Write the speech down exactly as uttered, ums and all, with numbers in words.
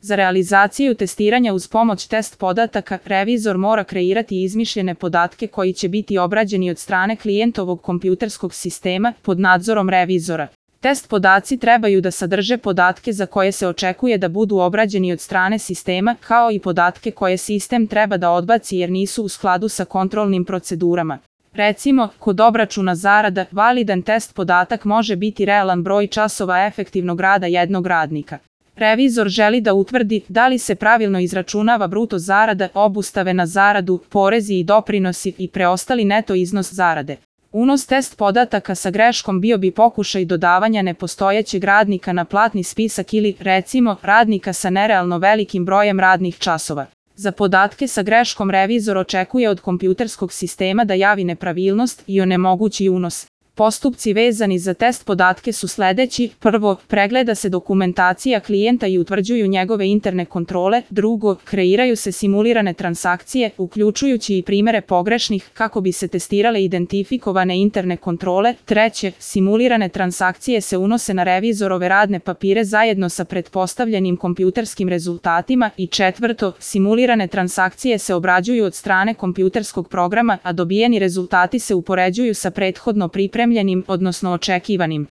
Za realizaciju testiranja uz pomoć test podataka, revizor mora kreirati izmišljene podatke koji će biti obrađeni od strane klijentovog kompjuterskog sistema pod nadzorom revizora. Test podaci trebaju da sadrže podatke za koje se očekuje da budu obrađeni od strane sistema, kao i podatke koje sistem treba da odbaci jer nisu u skladu sa kontrolnim procedurama. Recimo, kod obračuna zarada, validan test podatak može biti realan broj časova efektivnog rada jednog radnika. Revizor želi da utvrdi da li se pravilno izračunava bruto zarada, obustave na zaradu, porezi i doprinosi i preostali neto iznos zarade. Unos test podataka sa greškom bio bi pokušaj dodavanja nepostojećeg radnika na platni spisak ili, recimo, radnika sa nerealno velikim brojem radnih časova. Za podatke sa greškom revizor očekuje od kompjuterskog sistema da javi nepravilnost i onemogući unos. Postupci vezani za test podatke su sledeći: prvo, pregleda se dokumentacija klijenta i utvrđuju njegove interne kontrole; drugo, kreiraju se simulirane transakcije, uključujući i primere pogrešnih, kako bi se testirale identifikovane interne kontrole; treće, simulirane transakcije se unose na revizorove radne papire zajedno sa pretpostavljenim kompjuterskim rezultatima; i četvrto, simulirane transakcije se obrađuju od strane kompjuterskog programa, a dobijeni rezultati se upoređuju sa prethodno pripremljenim, odnosno očekivanim.